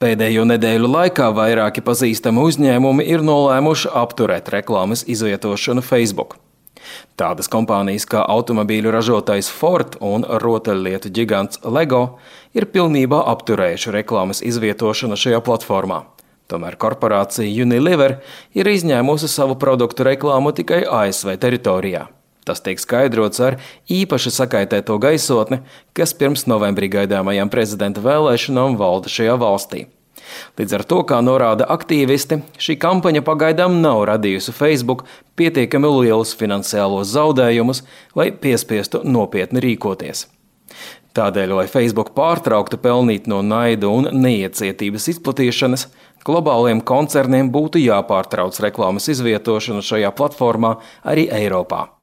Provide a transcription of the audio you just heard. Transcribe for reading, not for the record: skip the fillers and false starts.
Pēdējo nedēļu laikā vairāki pazīstami uzņēmumi ir nolēmuši apturēt reklāmas izvietošanu Facebook. Tādas kompānijas kā automobīļu ražotājs Ford un rotaļlietu ģigants Lego ir pilnībā apturējuši reklāmas izvietošanu šajā platformā. Tomēr korporācija Unilever ir izņēmusi savu produktu reklāmu tikai ASV teritorijā. Tas tiek skaidrots ar īpaši sakaitēto gaisotni, kas pirms novembrī gaidāmajām prezidenta vēlēšanām valda šajā valstī. Līdz ar to, kā norāda aktīvisti, šī kampaņa pagaidām nav radījusi Facebook pietiekami lielus finansiālos zaudējumus, lai piespiestu nopietni rīkoties. Tādēļ, lai Facebook pārtrauktu pelnīt no naida un neiecietības izplatīšanas, globāliem koncerniem būtu jāpārtrauc reklāmas izvietošana šajā platformā arī Eiropā.